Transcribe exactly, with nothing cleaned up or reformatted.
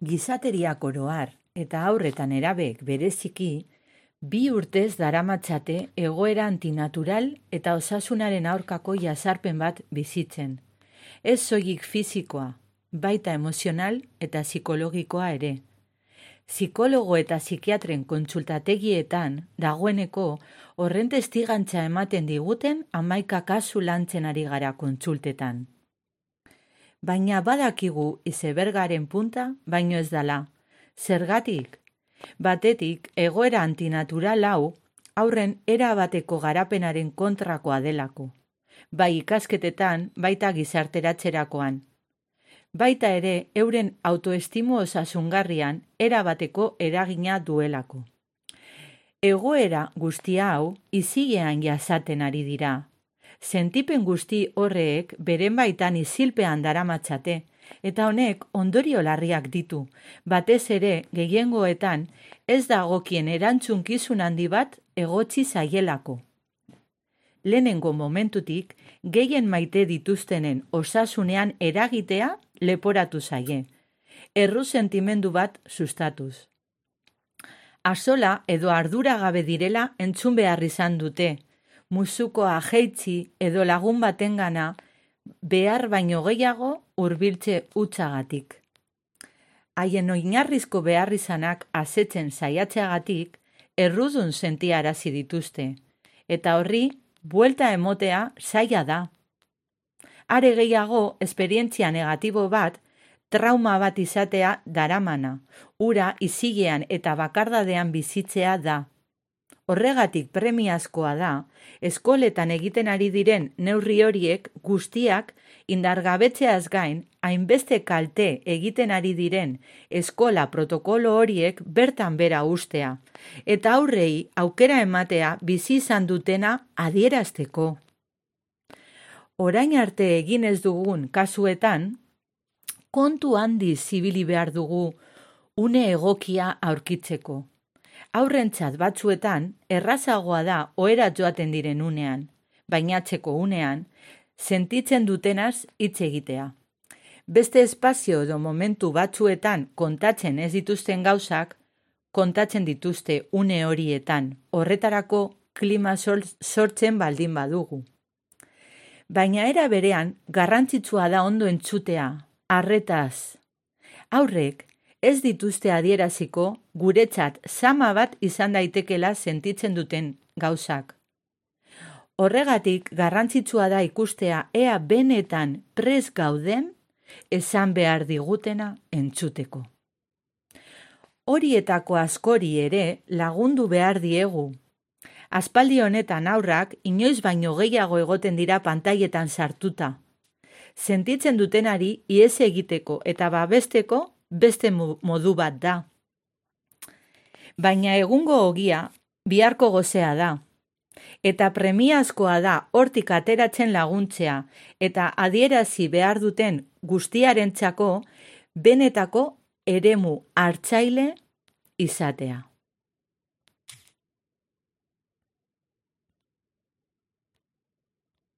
Gizateriak oro har eta haur eta nerabek bereziki, bi urtez daramatzate egoera antinatural eta osasunaren aurkako jazarpen bat bizitzen. Ez soilik fisikoa, baita emozional eta psikologikoa ere. Psikologo eta psikiatren kontsultategietan dagoeneko horren testigantza ematen diguten hamaika kasu lantzen ari gara kontsultetan. Baina badakigu izebergaren punta baino ez dala. Zergatik? Batetik, egoera antinatural hau haurren erabateko garapenaren kontrakoa delako. Bai ikasketetan, baita gizarteratzerakoan. Baita ere, euren autoestimu osasungarrian erabateko eragina duelako. Egoera guztia hau izilean jasaten ari dira. Sentipen guzti horreek beren baitan isilpean daramatzate, eta honek ondorio larriak ditu, batez ere gehiengoetan ez dagokien erantzunkizun handi bat egotzi zaielako. Lehenengo momentutik, gehien maite dituztenen osasunean eragitea leporatu zaie, erru sentimendu bat sustatuz. Azola edo arduragabe direla entzun behar izan dute, musukoa jeitzi edo lagun batengana behar baino gehiago hurbiltze hutsagatik. Haien oinarrizko beharrizanak asetzen saiatzeagatik errudun sentiarazi dituzte, eta horri buelta emotea zaila da. Are gehiago, esperientzia negatibo bat, trauma bat izatea daramana, ura izilean eta bakardadean bizitzea da. Horregatik premiazkoa da, eskoletan egiten ari diren neurri horiek guztiak indargabetzeaz gain, hainbeste kalte egiten ari diren eskola protokolo horiek bertan bera ustea, eta aurrei aukera ematea bizi izan dutena adierazteko. Orain arte egin ez dugun kasuetan, kontu handi zibili behar dugu une egokia aurkitzeko. Aurrentzat batzuetan, errazagoa da ohera joaten diren unean, bainatzeko unean, sentitzen dutenaz hitz egitea. Beste espazio edo momentu batzuetan kontatzen ez dituzten gauzak, kontatzen dituzte une horietan, horretarako klima sortzen baldin badugu. Baina era berean, garrantzitsua da ondo entzutea, arretaz. Aurrek, ez dituzte adieraziko guretzat zama bat izan daitekela sentitzen duten gauzak. Horregatik garrantzitsua da ikustea ea benetan prest gauden esan behar digutena entzuteko. Horietako askori ere lagundu behar diegu. Aspaldi honetan aurrak inoiz baino gehiago egoten dira pantailetan sartuta. Sentitzen dutenari ihes egiteko eta babesteko beste modu bat da. Baina egungo ogia biharko gozea da. Eta premiazkoa da hortik ateratzen laguntzea eta adierazi behar duten guztiarentzako benetako eremu hartzaile izatea.